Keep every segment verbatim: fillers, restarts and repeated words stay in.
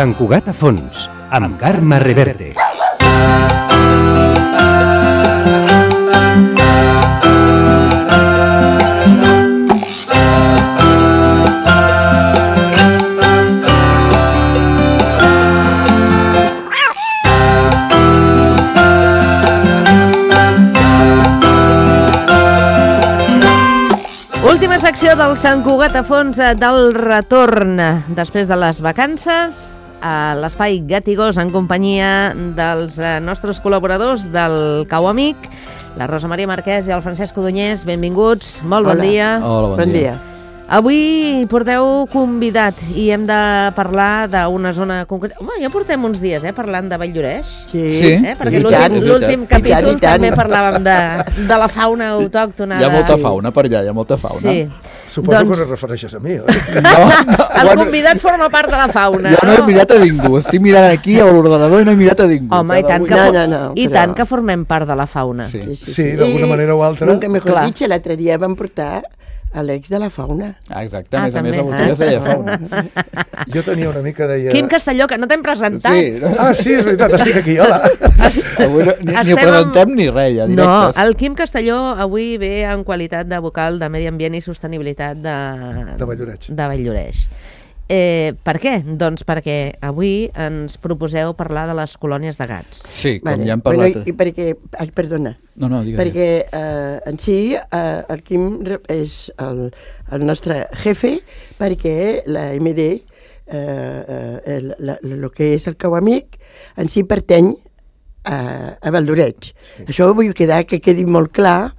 Sant Cugat a fons, amb Carme Reverte. Última secció del Sant Cugat a fons del retorn després de les vacances a l'Espai Gat i Gos en companyia dels nostres col·laboradors del Cau Amic, la Rosa Maria Marquès i el Francesc Codonyés. Benvinguts, molt bon Hola. dia. Hola, bon, Bon dia. dia. Avui porteu convidat i hem de parlar d'una zona concreta. Home, ja portem uns dies eh, parlant de Valldoreix. Sí, Sí. Eh, perquè I l'últim tant, i l'últim tant. capítol I tant, i tant. també parlàvem de, de la fauna autòctona. Hi ha de- molta fauna per allà, hi ha molta fauna. Sí. Suposo Doncs- que no et refereixes a mi, oi? No, no, El bueno, convidat forma part de la fauna. jo no he mirat a ningú, estic mirant aquí a l'ordenador i no he mirat a ningú. Home, i Cada tant, un- que, No, for- no, no, i però- tant que formem part de la fauna. Sí. Sí, d'alguna I manera o altra. Nunca mejor Clar. dicho, l'altre dia vam portar a l'ex de la fauna. Ah, exacte, Ah, a més a més, també. la botella es deia fauna. Jo tenia una mica, deia... Quim Castelló, que no t'hem presentat. Sí, no? Ah, sí, és veritat, estic aquí, hola. Avui no, ni, ni ho Estem presentem ni res, ja, No, directes. el Quim Castelló avui ve en qualitat de vocal de Medi Ambient i Sostenibilitat de, De Valldoreix. de Valldoreix. Eh, per què? Doncs perquè avui ens proposeu parlar de les colònies de gats. Sí, com Vale. ja hem parlat... Bueno, i, i perquè... Ai, perdona. No, no, digues. Perquè eh, en si eh, el Quim re- és el, el nostre jefe, perquè la M D, eh, eh, el, la, el que és el Cau Amic, en si pertany a, a Valldoreix. Sí. Això vull quedar que quedi molt clar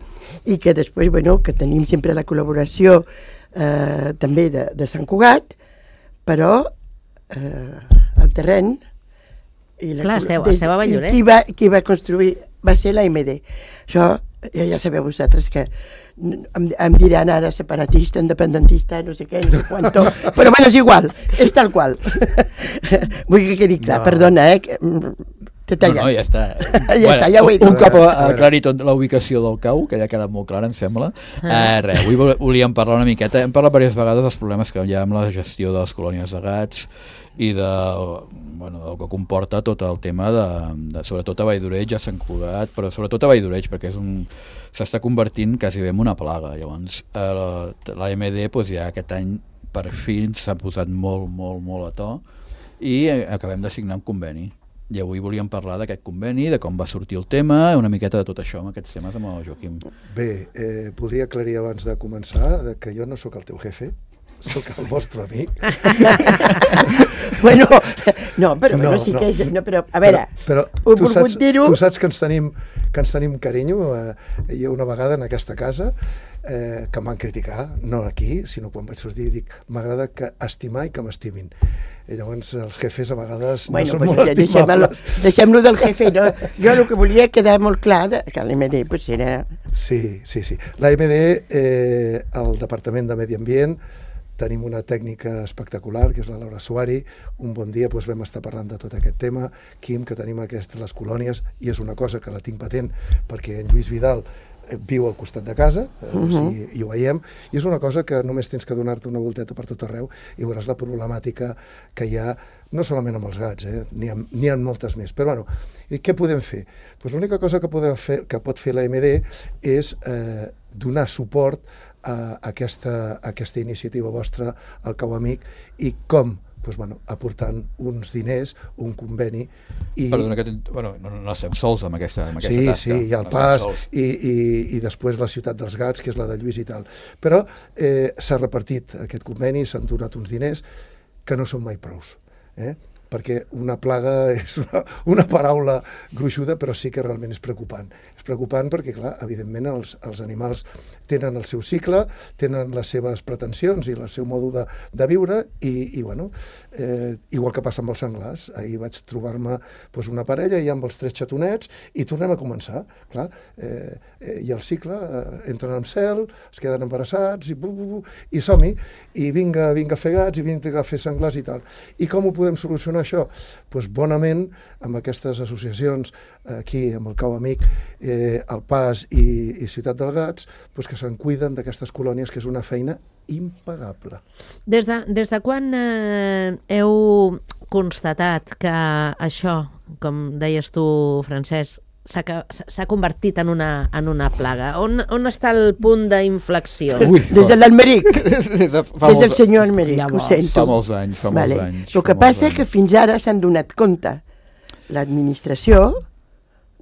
i que després, bueno, que tenim sempre la col·laboració eh, també de, de Sant Cugat, però eh, el terreny i la, Clar, esteu- des- esteu a Valldoreix. qui va, qui va construir va ser la M D. Això ja, ja sabeu vosaltres que n- em, em diran ara separatista, independentista, no sé què, no sé quanto, però bueno, és igual, és tal qual. Vull que quedi clar, No. perdona, eh, que, mm, t'he No, tallat. no, ja està. Ja està, ja ho he dit. Un cop A veure, a aclarit la ubicació del cau, que ja ha quedat molt clar, em sembla, eh, res, avui vol- volíem parlar una miqueta. Hem parlat diverses vegades dels problemes que hi ha amb la gestió de les colònies de gats i de, bueno, del que comporta tot el tema de, de sobretot a Valldoreix, a Sant Cugat, però sobretot a Valldoreix, perquè és un s'està convertint quasi bé en una plaga. Llavors, eh, la, la M D doncs, ja aquest any per fi s'ha posat molt, molt, molt a to i eh, acabem de signar un conveni. I avui volíem parlar d'aquest conveni, de com va sortir el tema, una miqueta de tot això, amb aquests temes amb el Joaquim. Bé, eh, voldria aclarir abans de començar de que jo no sóc el teu jefe, sóc el vostre amic. Bueno, no, però No, bueno, sí no. que és... No, però, a veure, però, ho però tu, he saps, volgut dir-ho... tu saps que ens tenim, que ens tenim carinyo. Eh, jo una vegada en aquesta casa, eh, que em van criticar, no aquí, sinó quan vaig sortir, dic, m'agrada que estimar i que m'estimin. I llavors els jefes a vegades Bueno, no són pues molt ja deixem-lo estimables. deixem del jefe. No? Jo el que volia quedar molt clar de, que l'M D pues, era... Sí, sí, sí. La M D, eh, el Departament de Medi Ambient, tenim una tècnica espectacular, que és la Laura Suari. Un bon dia doncs, vam estar parlant de tot aquest tema. Quim, que tenim aquestes les colònies, i és una cosa que la tinc patent, perquè en Lluís Vidal eh, viu al costat de casa, eh, uh -huh. o sigui, i ho veiem, i és una cosa que només tens que donar-te una volteta per tot arreu i veuràs la problemàtica que hi ha, no solament amb els gats, eh? n'hi ha, n'hi ha moltes més. Però bueno, i què podem fer? Pues l'única cosa que, podem fer, que pot fer la M D és eh, donar suport a aquesta, a aquesta iniciativa vostra, al Cau Amic, i com? Pues, bueno, aportant uns diners, un conveni i... Perdona, que bueno, no, no estem sols amb aquesta, amb aquesta Sí, tasca. sí, hi ha el No Pas estem sols. i, i, i després la Ciutat dels Gats, que és la de Lluís i tal. Però eh, s'ha repartit aquest conveni, s'han donat uns diners que no són mai prous, eh? perquè una plaga és una, una paraula gruixuda, però sí que realment és preocupant. És preocupant perquè, clar, evidentment els, els animals tenen el seu cicle, tenen les seves pretensions i el seu mode de, de viure i, i bueno, eh, igual que passa amb els senglars. Ahir vaig trobar-me doncs, una parella i amb els tres xatonets i tornem a començar. Clar, eh, eh, i el cicle, eh, entren en cel, es queden embarassats i, bu, bu, bu, i som-hi, i vinga, vinga a fer gats i vinga a fer senglars i tal. I com ho podem solucionar això? Pues bonament, amb aquestes associacions aquí, amb el Cau Amic, eh, el Pas i, i Ciutat dels Gats, pues que se'n cuiden d'aquestes colònies, que és una feina impagable. Des de, des de quan eh, heu constatat que això, com deies tu, Francesc, s'ha convertit en una, en una plaga? On, on està el punt d'inflexió? Des de l'Almeric. Des, de Des del senyor Almeric, ho sento. Fa molts anys, fa vale. molts anys. El que passa és que fins ara s'han donat compte l'administració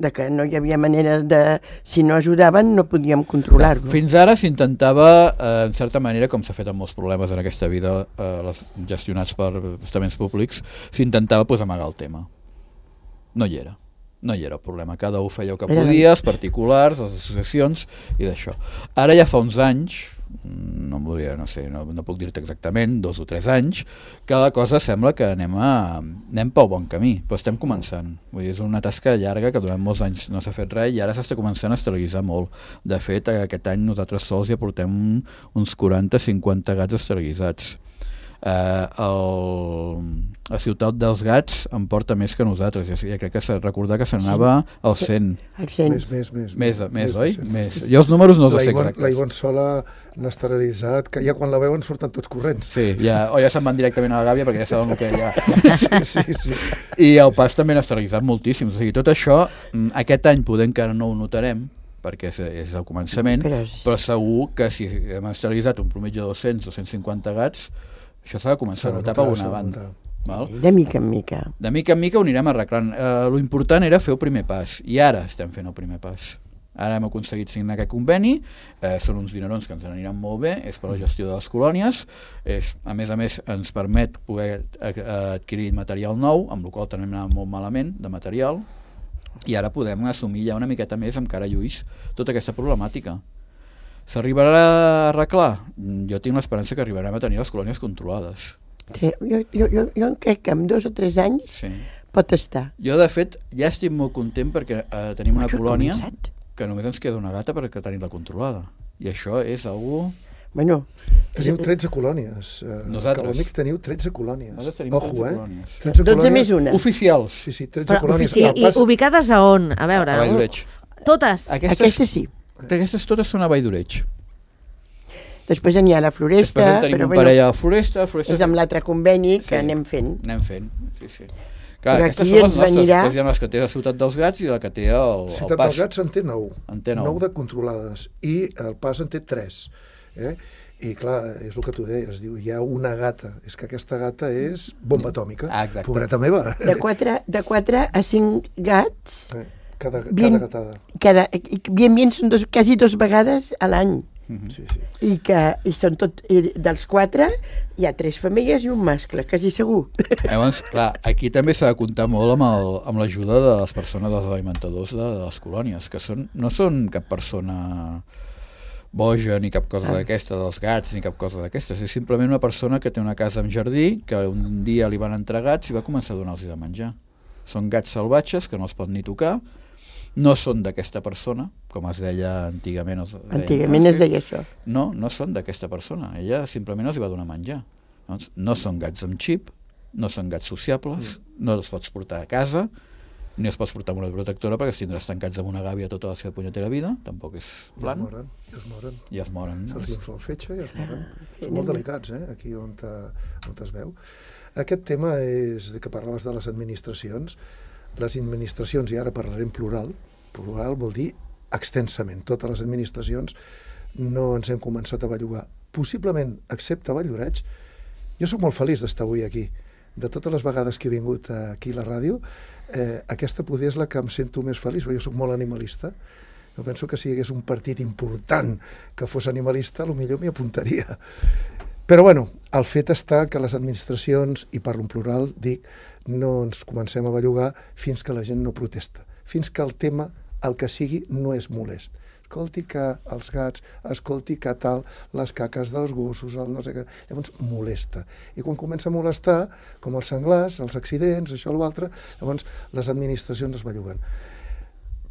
de que no hi havia manera de... Si no ajudaven, no podíem controlar-lo. Fins ara s'intentava, eh, en certa manera, com s'ha fet amb molts problemes en aquesta vida, eh, les, gestionats per estaments públics, s'intentava pues, amagar el tema. No hi era. No hi era el problema. Cada un feia el que podia, els particulars, les associacions, i d'això. Ara ja fa uns anys, no em volia, no sé, no, no puc dir-te exactament, dos o tres anys, que la cosa sembla que anem, a, anem pel bon camí, però estem començant. Vull dir, és una tasca llarga que durant molts anys no s'ha fet res i ara s'està començant a esterilitzar molt. De fet, aquest any nosaltres sols ja portem uns quaranta cinquanta gats esterilitzats. Eh, el, la ciutat dels gats en porta més que nosaltres, ja, ja crec que s'ha de recordar que se n'anava al cent. Al cent. Més, més, més. Més, més, més oi? Més. Jo els números no els sé exactes. La Ivonne Sola n'ha esterilitzat, que ja quan la veuen surten tots corrents. Sí, ja, o ja se'n van directament a la gàbia perquè ja saben el que hi ha. Sí, sí, sí. I el pas també n'ha esterilitzat moltíssim. O sigui, tot això, aquest any poder encara no ho notarem, perquè és, és el començament, però, però segur que si hem esterilitzat un prometge de dos-cents o cent cinquanta gats, això s'ha de començar a notar per alguna banda. Val? De mica en mica. De mica en mica ho anirem arreglant. Eh, lo important era fer el primer pas, i ara estem fent el primer pas. Ara hem aconseguit signar aquest conveni, eh, són uns dinerons que ens aniran molt bé, és per la gestió de les colònies, és, a més a més ens permet poder adquirir material nou, amb el qual també hem anat molt malament de material, i ara podem assumir ja una miqueta més amb cara a Lluís tota aquesta problemàtica. S'arribarà a arreglar? Jo tinc l'esperança que arribarem a tenir les colònies controlades. Jo, jo, jo, jo crec que en dos o tres anys sí. pot estar. Jo, de fet, ja estic molt content perquè eh, tenim una colònia que només ens queda una gata perquè tenim-la controlada. I això és algú... Bueno, teniu tretze colònies. Nosaltres. Calamic teniu tretze colònies. Nosaltres tenim Ojo, tretze eh? colònies. tretze dotze més una. Oficials. Sí, sí, tretze Però, colònies. I, i ubicades a on? A veure. A Valldoreig. Totes? Aquestes, Aquestes sí. Aquestes totes són a Valldoreig. Després n'hi ha la Floresta. Després en tenim però, un bueno, parell a la Floresta. Floresta és amb l'altre conveni que sí, anem fent. Anem fent, sí, sí. Clar, però aquestes aquí són les ens nostres. venirà... Després hi ha les que té la Ciutat dels Gats i la que té el, el Ciutat Pas. dels Gats en té nou. En té nou. Nou de controlades. I el Pas en té tres. Eh? I clar, és el que tu deies, diu, hi ha una gata, és que aquesta gata és bomba atòmica, ah, pobreta meva. De quatre, de quatre a cinc gats, eh, cada, bien, cada gatada. Cada, bien, bien, són dos, quasi dos vegades a l'any. Mm-hmm. Sí, sí. I que i són tot, i dels quatre hi ha tres femelles i un mascle, quasi segur. Llavors, clar, aquí també s'ha de comptar molt amb, el, amb l'ajuda de les persones, dels alimentadors de, de les colònies, que són, no són cap persona boja ni cap cosa ah. d'aquesta, dels gats, ni cap cosa d'aquestes. És simplement una persona que té una casa amb jardí, que un dia li van entrar gats i va començar a donar-los de menjar. Són gats salvatges que no els pot ni tocar, no són d'aquesta persona, com es deia antigament. Els antigament es deia això. No, no són d'aquesta persona. Ella simplement els va donar menjar. Doncs no són gats amb xip, no són gats sociables, mm. no els pots portar a casa, ni els pots portar amb una protectora perquè si tindràs tancats amb una gàbia tota la seva punyetera vida, tampoc és plan. I es moren, i es moren. I es moren. Se'ls infla el fetge i es moren. Són molt delicats, eh, aquí on, te, on es veu. Aquest tema és de que parlaves de les administracions. Les administracions, i ara parlarem plural, plural vol dir extensament. Totes les administracions no ens hem començat a bellugar. Possiblement, excepte Valldoreig, jo sóc molt feliç d'estar avui aquí. De totes les vegades que he vingut aquí a la ràdio, eh, aquesta poder és la que em sento més feliç, perquè jo sóc molt animalista. Jo penso que si hi hagués un partit important que fos animalista, potser m'hi apuntaria. Però bueno, el fet està que les administracions, i parlo en plural, dic, no ens comencem a bellugar fins que la gent no protesta, fins que el tema, el que sigui, no és molest. Escolti que els gats, escolti que tal, les caques dels gossos, el no sé què, llavors molesta. I quan comença a molestar, com els senglars, els accidents, això o l'altre, llavors les administracions es belluguen.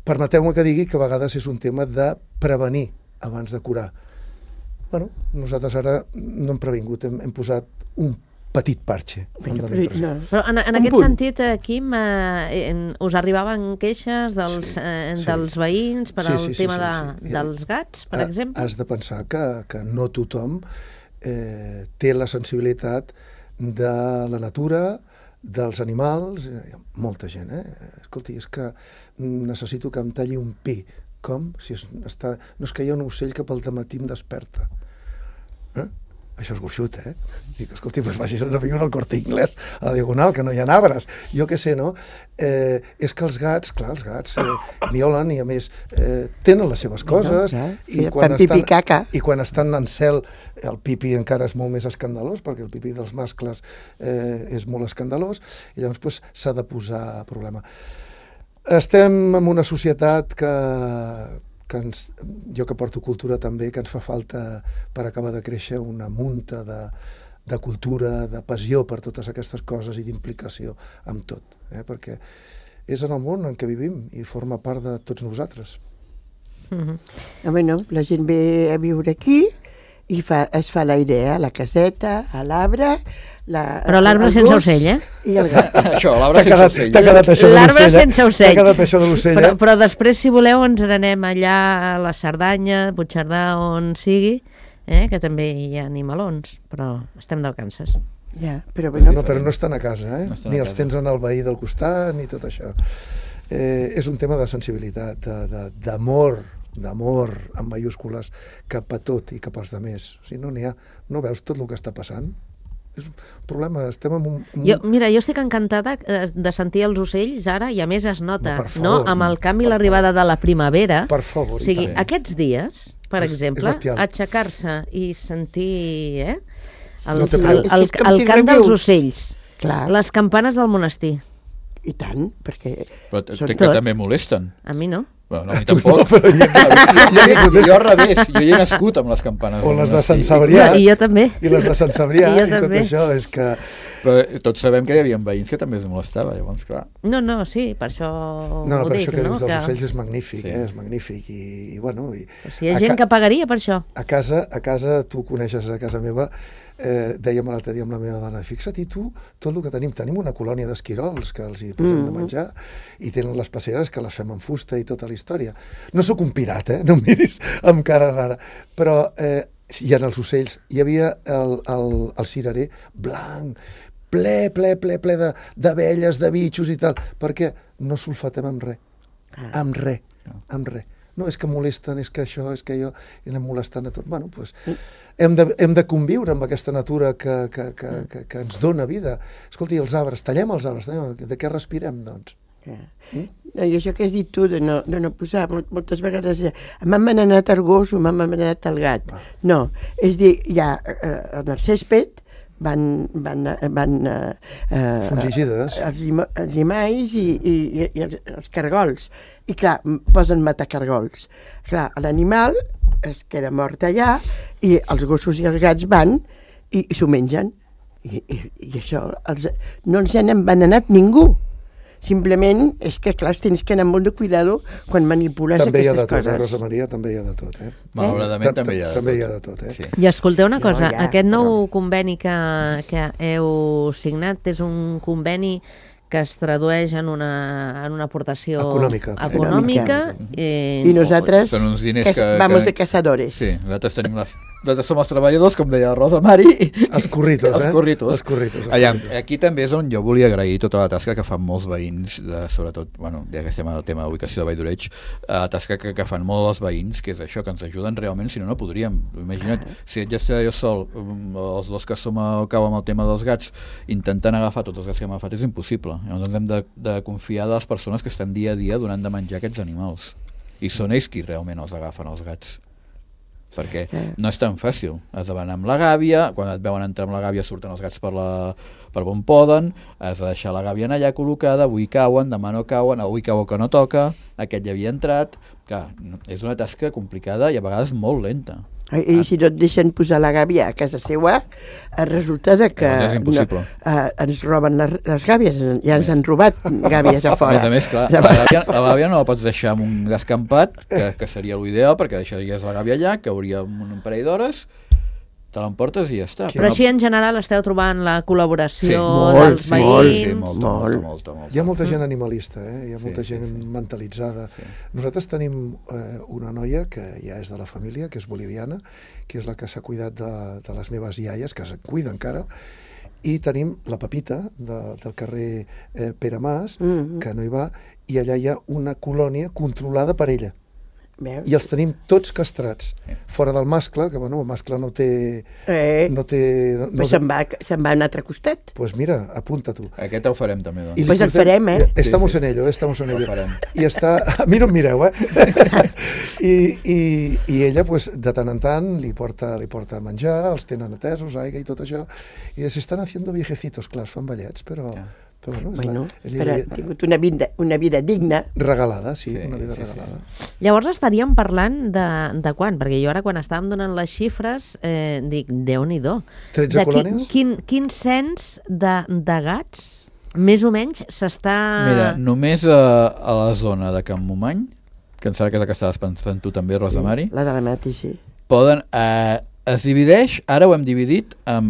Permeteu-me que digui que a vegades és un tema de prevenir abans de curar. Bueno, nosaltres ara no hem previngut, hem, hem posat un petit parxe. Però, però en, en aquest punt. sentit, eh, Quim, eh, us arribaven queixes dels, sí, eh, sí. dels veïns per sí, al sí, tema sí, sí, sí. De, dels gats, per ha, exemple? Has de pensar que, que no tothom eh, té la sensibilitat de la natura, dels animals, hi ha molta gent, eh? Escolti, és que necessito que em talli un pi. Com? Si es, està... No és que hi ha un ocell que pel dematí em desperta. Eh? Això és gruixut, eh? Dic, escolti, doncs vagis a viure al Corte Inglés, a la Diagonal, que no hi ha arbres. Jo què sé, no? Eh, és que els gats, clar, els gats eh, miolen i, a més, eh, tenen les seves coses. No, i, quan estan, I quan estan en cel, el pipi encara és molt més escandalós, perquè el pipi dels mascles eh, és molt escandalós, i llavors pues, s'ha de posar a problema. Estem en una societat que... que ens, jo que porto cultura també, que ens fa falta per acabar de créixer una munta de, de cultura, de passió per totes aquestes coses i d'implicació amb tot, eh? Perquè és en el món en què vivim i forma part de tots nosaltres. Mm-hmm. Ah, bueno, la gent ve a viure aquí i fa, es fa la idea, a la caseta, a l'arbre... La, Però l'arbre sense ocell, eh? I el gat. Això, l'arbre sense ocell. T'ha quedat això de l'ocell, l'arbre sense ocell. T'ha quedat això de l'ocell, però, eh? però després, si voleu, ens n'anem allà a la Cerdanya, Puigcerdà, on sigui, eh? Que també hi ha animalons, però estem de vacances. Ja, però, bueno, no, però no estan a casa, eh? No ni els els tens en el veí del costat, ni tot això. Eh, és un tema de sensibilitat, d'amor, d'amor amb mayúscules cap a tot i cap als demés. O sigui, no n'hi ha. No veus tot el que està passant? És un problema, estem en un... un... Jo, mira, jo estic encantada de sentir els ocells ara, i a més es nota, no, favor, no? Amb el canvi i l'arribada de la primavera. Per favor. O sigui, també. Aquests dies, per és, exemple, és aixecar-se i sentir eh, el, No el, el, el, és com el si cant revius. dels ocells, Clar. les campanes del monestir. I tant, perquè... Però t- són que tots. també molesten. A mi no. Bueno, no, a mi tampoc. No, però jo, jo, jo, jo al revés, jo hi he nascut amb les campanes. o les de Sant monestir. Cebrià. I jo també. I les de Sant Cebrià, I jo i tot també. això, és que... Però tots sabem que hi havia veïns que també es molestava, llavors, clar. No, no, sí, per això No, no, ho per dic, això que no? dius dels Que... ocells és magnífic, Sí. eh? És magnífic. I, i bueno... I, O sigui, hi ha a gent ca- que pagaria per això. A casa, a casa, tu coneixes a casa meva, eh, dèiem l'altre dia amb la meva dona, fixa't, i tu, tot el que tenim, tenim una colònia d'esquirols que els hi posem Mm. de menjar, i tenen les passeres que les fem en fusta i tota la història. No sóc un pirat, eh? No em miris amb cara rara, però eh, hi ha els ocells, hi havia el, el, el cirerer blanc, ple, ple, ple, ple de- d'abelles, de, de bitxos i tal, perquè no sulfatem amb res, Ah. amb res, amb res. No, és que molesten, és que això, és que jo, i anem molestant a tot. Bueno, doncs, hem de, hem de conviure amb aquesta natura que, que, que, que, que ens dona vida. Escolti, els arbres, tallem els arbres, tallem, de què respirem, doncs? Ja. No, i això que has dit tu de no, de no posar, moltes vegades eh, m'han manat el gos o m'han manat el gat. Ah. No, és dir, ja eh, en el césped van, van, van eh, eh, Fungicides. els, lima- els llimalls i, i, i, i els, els cargols. I clar, m- posen matacargols. Clar, l'animal es queda mort allà i els gossos i els gats van i, i s'ho mengen. I, i, i això els, no els han envenenat ningú. Simplement és que, clar, tens que anar molt de cuidado quan manipules També hi ha de aquestes tot, eh, coses. Rosa Maria, també hi ha de tot, eh? Malauradament també hi ha de També hi ha tot. de tot, eh? Sí. I escolteu una No, cosa, ja, aquest nou però- conveni que, que heu signat és un conveni que es tradueix en una, en una aportació Econòmica. econòmica I i, nosaltres Són uns diners que, que- vamos que- de cazadores. Sí, nosaltres tenim la... Nosaltres som els treballadors, com deia la Rosa Mari. Els curritos, eh? Els curritos. Els curritos. els Allà, curritos. aquí també és on jo volia agrair tota la tasca que fan molts veïns, de, sobretot, bueno, ja que estem al tema d'ubicació de Vall d'Oreig, eh, la tasca que, que fan molts els veïns, que és això, que ens ajuden realment, si no, no podríem. Imagina't, si ets ja jo sol, um, els dos que som al cau amb el tema dels gats, intentant agafar tots els gats que hem agafat és impossible. Llavors ens hem de, de confiar de les persones que estan dia a dia donant de menjar aquests animals. I són ells qui realment els agafen, els gats. Perquè no és tan fàcil. Has de anar amb la gàbia, quan et veuen entrar amb la gàbia surten els gats per, la, per on poden, has de deixar la gàbia en allà col·locada, avui cauen, demà no cauen, avui cau que no toca, aquest ja havia entrat. Clar, és una tasca complicada i a vegades molt lenta. I, i si no et deixen posar la gàbia a casa seva, eh, resulta de que Llavors és impossible. no, eh, ens roben les, les gàbies, ja ens han robat gàbies a A fora. més a més, clar, la gàbia, la gàbia no la pots deixar en un descampat, que, que seria l'ideal, perquè deixaries la gàbia allà, que hauria un parell d'hores, te l'emportes i ja està. Però així en general esteu trobant la col·laboració Sí, molt, dels sí, veïns. molt, Sí, molta, Molt. molta, molta, molta. Hi ha molta gent animalista, eh? Hi ha molta Sí, sí, gent sí. mentalitzada. Sí. Nosaltres tenim eh, una noia que ja és de la família, que és boliviana, que és la que s'ha cuidat de, de les meves iaies, que se'n cuida encara, i tenim la Pepita de, del carrer eh, Pere Mas, Mm-hmm. que no hi va, i allà hi ha una colònia controlada per ella. Veus? I els tenim tots castrats. Fora del mascle, que bueno, el mascle no té... Eh, No té no, pues se'n va, se'n va a un altre costat. pues mira, apunta tu. Aquest ho farem també, doncs. I li Pues el portem- farem, eh? Estamos Sí, sí. en ello, estamos en Ho ello. farem. I està... A mi no em mireu, eh? I, i, I ella, pues, de tant en tant, li porta, li porta menjar, els tenen atesos, aigua i tot això. I s'estan haciendo viejecitos, clar, es fan vellets, però... Ja. però bueno, és Bueno, la, és però la, ha tingut una vida, una vida digna. regalada, sí, Sí, una vida sí, sí. regalada. Llavors estaríem parlant de, de quan? Perquè jo ara quan estàvem donant les xifres eh, dic, Déu-n'hi-do. tretze De qui- colònies? Quin, quin cens de, de gats més o menys s'està... Mira, només a, a la zona de Can Momany, que em sembla que és la que estaves pensant tu també, Rosa Mari, La de la Mati, sí. poden... Eh, es divideix, ara ho hem dividit en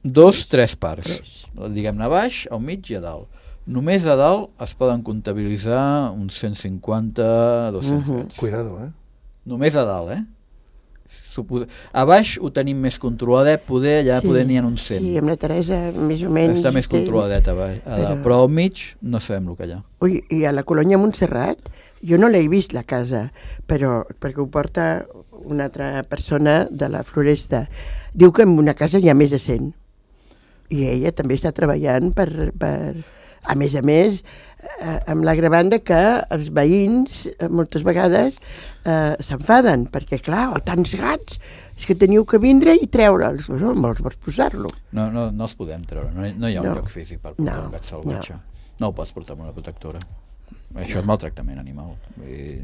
dos, tres parts. Diguem-ne a baix, al mig i a dalt. Només a dalt es poden comptabilitzar uns cent cinquanta, dos-cents Mhm. gats. Cuidado, eh? Només a dalt, eh? Supos... A baix ho tenim més controladet, poder, allà sí. poder n'hi ha uns cent. Sí, amb la Teresa, més o menys... Està més té- controladet a baix, a dalt. Però- Però al mig no sabem el que hi ha. Ui, i a la colònia Montserrat, jo no l'he vist, la casa, però perquè ho porta una altra persona de la Floresta. Diu que en una casa hi ha més de cent. I ella també està treballant per... per... A més a més, eh, amb l'agravant que els veïns eh, moltes vegades eh, s'enfaden, perquè clar, oh, tants gats, és que teniu que vindre i treure'ls. No, me'ls vols posar-lo. No, no, no els podem treure, no, hi- no hi ha un No. lloc físic per portar No, un gat salvatge. No. no ho pots portar amb una protectora. Això és maltractament animal. Vull dir,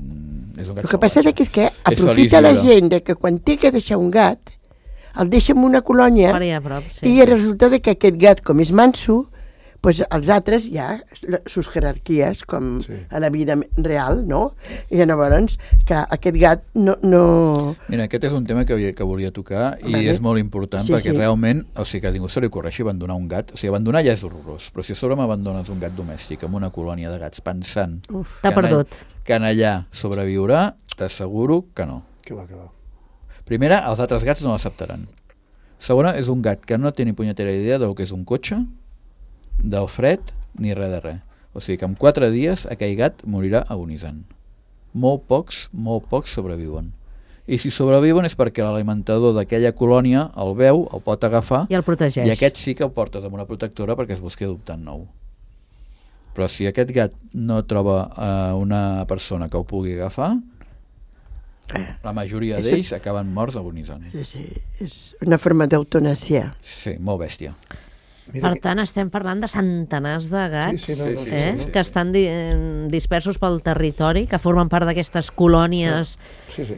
és un gat El que passa salvatge. és que És aprofita feliç la lliure. gent de que quan té que deixar un gat, el deixa en una colònia Per allà a prop, sí. i resulta de que aquest gat, com és manso, pues els altres ja, sus jerarquies, com Sí. a la vida real, no? I llavors, que aquest gat no... no... Mira, aquest és un tema que, havia- que volia tocar i Vale. és molt important Sí, perquè sí. realment, o sigui, que a ningú se li ocorreixi abandonar un gat. O sigui, abandonar ja és horrorós, però si a sobre m'abandones un gat domèstic en una colònia de gats pensant Uf. T'ha que en all- perdut. que en allà sobreviurà, t'asseguro que no. Que va, que va. Primera, els altres gats no l'acceptaran. Segona, és un gat que no té ni punyetera idea del que és un cotxe, del fred, ni res de res. O sigui que en quatre dies aquell gat morirà agonitzant. Molt pocs, molt pocs sobreviuen. I si sobreviuen és perquè l'alimentador d'aquella colònia el veu, el pot agafar, I el protegeix. i aquest sí que el portes amb una protectora perquè es busqui adoptant nou. Però si aquest gat no troba eh, una persona que ho pugui agafar, la majoria És- d'ells acaben morts agonitzant. Sí, és una forma d'eutanàsia. Sí, molt bèstia. Per tant, estem parlant de centenars de gats Sí, sí, no, no, sí, eh, sí, sí. que estan di eh, dispersos pel territori, que formen part d'aquestes colònies. Sí, sí.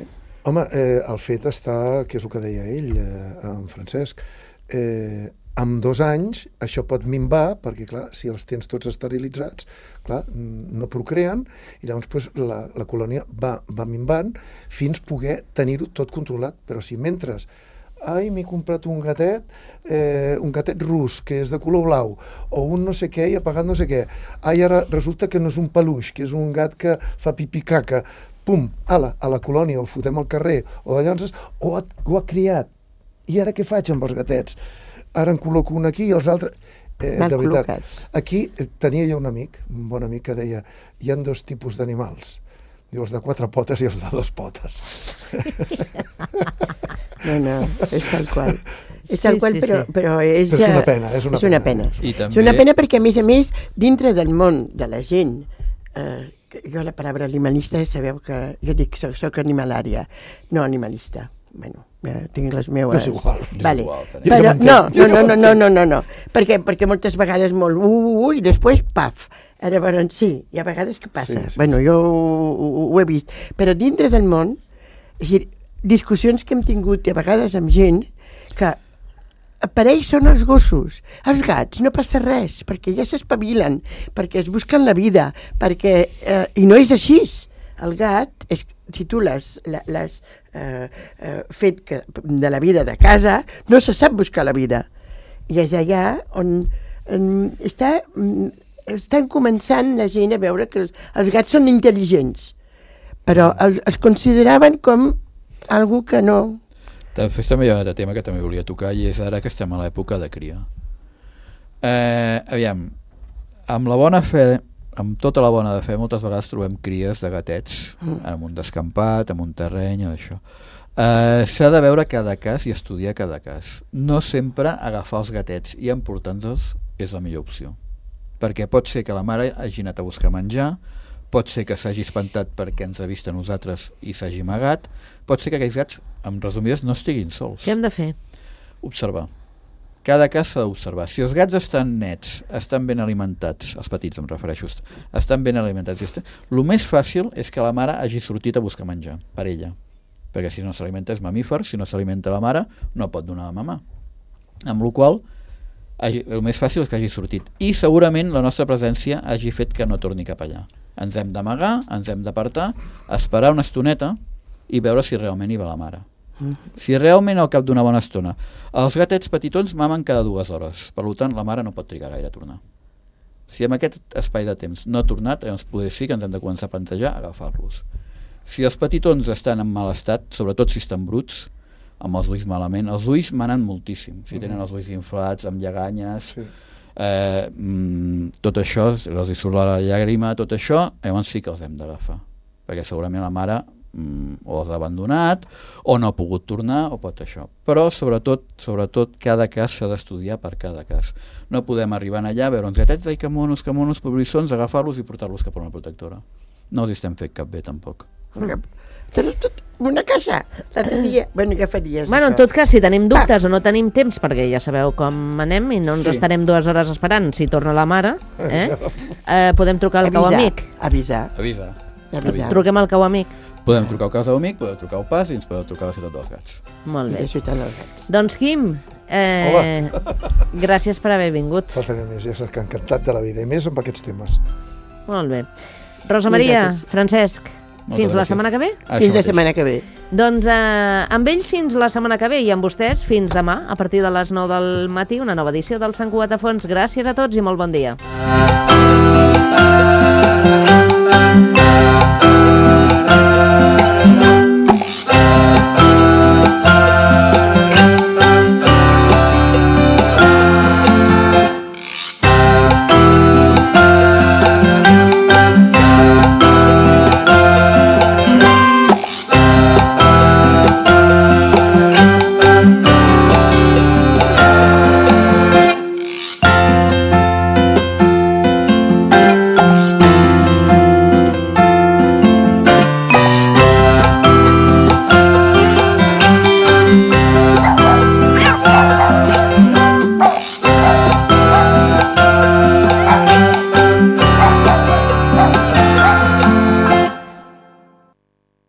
Home, eh, el fet està, que és el que deia ell, eh, en Francesc, eh, amb dos anys això pot minvar, perquè clar, si els tens tots esterilitzats, clar, mm, no procreen, i llavors pues, la, la colònia va, va minvant fins poder tenir-ho tot controlat. Però si mentre, ai, m'he comprat un gatet, eh, un gatet rus, que és de color blau, o un no sé què i ha pagat no sé què, ai, ara resulta que no és un peluix, que és un gat que fa pipí caca, pum, ala, a la colònia, el fotem al carrer, o de llances, o ha, ho ha criat. I ara què faig amb els gatets? Ara en col·loco un aquí i els altres... Eh, Mal de veritat, col·locats. aquí eh, tenia jo un amic, un bon amic, que deia hi ha dos tipus d'animals. Diu, els de quatre potes i els de dos potes. No, no, és tal qual. És Sí, tal qual, sí, però, sí. però és... Però és una eh, pena, és una és una pena. pena. I És també... una pena perquè, a més a més, dintre del món de la gent, eh, que jo la paraula animalista, sabeu que jo dic soc, soc animalària, no animalista. Bueno, eh, tinc les meues... És igual. Vale. igual, també. Però, Jo ja no, m'entenc, jo no, ja no, no, no, no, no, perquè, perquè moltes vegades molt ui, ui, ui, i després, paf. Ara, bueno, sí, hi ha vegades que passa. Sí, sí, bueno, jo ho, ho, ho he vist. Però dintre del món, és a dir, discussions que hem tingut i a vegades amb gent que per ells són els gossos. Els gats no passa res, perquè ja s'espavilen, perquè es busquen la vida, perquè... Eh, I no és així. El gat, és, si tu l'has l'has, eh, eh, fet que, de la vida de casa, no se sap buscar la vida. I és allà on, on està, estan començant la gent a veure que els, els gats són intel·ligents, però els, els consideraven com algú que no... Després també hi ha un altre tema que també volia tocar i és ara que estem a l'època de cria. Eh, aviam, amb la bona fe, amb tota la bona de fe, moltes vegades trobem cries de gatets mm. en un descampat, en un terreny o això. Eh, s'ha de veure cada cas i estudiar cada cas. No sempre agafar els gatets i emportar-los és la millor opció. Perquè pot ser que la mare hagi anat a buscar menjar, pot ser que s'hagi espantat perquè ens ha vist a nosaltres i s'hagi amagat, pot ser que aquells gats, en resumides, no estiguin sols. Què hem de fer? Observar. Cada cas s'ha d'observar. Si els gats estan nets, estan ben alimentats, els petits em refereixo, estan ben alimentats, estan... el més fàcil és que la mare hagi sortit a buscar menjar, per ella. Perquè si no s'alimenta és mamífer, si no s'alimenta la mare, no pot donar a mamar. Amb la qual cosa, el més fàcil és que hagi sortit. I segurament la nostra presència hagi fet que no torni cap allà. Ens hem d'amagar, ens hem d'apartar, esperar una estoneta i veure si realment hi va la mare. Mm. Si realment al cap d'una bona estona els gatets petitons mamen cada dues hores, per tant la mare no pot trigar gaire a tornar. Si en aquest espai de temps no ha tornat, llavors potser sí que ens hem de començar a plantejar agafar-los. Si els petitons estan en mal estat, sobretot si estan bruts, amb els ulls malament, els ulls manen moltíssim, si tenen els ulls inflats, amb lleganyes, sí. eh, mm, tot això, els hi surt la llàgrima, tot això, llavors sí que els hem d'agafar, perquè segurament la mare mm, o els ha abandonat, o no ha pogut tornar, o pot això. Però, sobretot, sobretot cada cas s'ha d'estudiar per cada cas. No podem arribar allà a veure uns gatets, ai, que monos, que monos, pobrissons, agafar-los i portar-los cap a una protectora. No els estem fent cap bé, tampoc. Tens tot una casa, l'altre bueno, què faries? Bueno, en tot cas, si tenim dubtes ah. o no tenim temps, perquè ja sabeu com anem i no ens sí. estarem dues hores esperant si torna la mare, eh? Eh, podem trucar al cau amic. Avisar. Avisar. Avisar. Truquem al cau amic. Podem trucar al cau amic, podem trucar al pas i ens podem trucar a la ciutat dels gats. Molt bé. La ciutat dels gats. Doncs Quim, eh, gràcies per haver vingut. Faltaria més, ja saps que encantat de la vida, i més amb aquests temes. Molt bé. Rosa Maria, Francesc, moltes fins gràcies. La setmana que ve? Això fins mateix. La setmana que ve. Doncs eh, amb ells fins la setmana que ve i amb vostès fins demà, a partir de les nou del matí, una nova edició del Sant Cugat a Fons. Gràcies a tots i molt bon dia.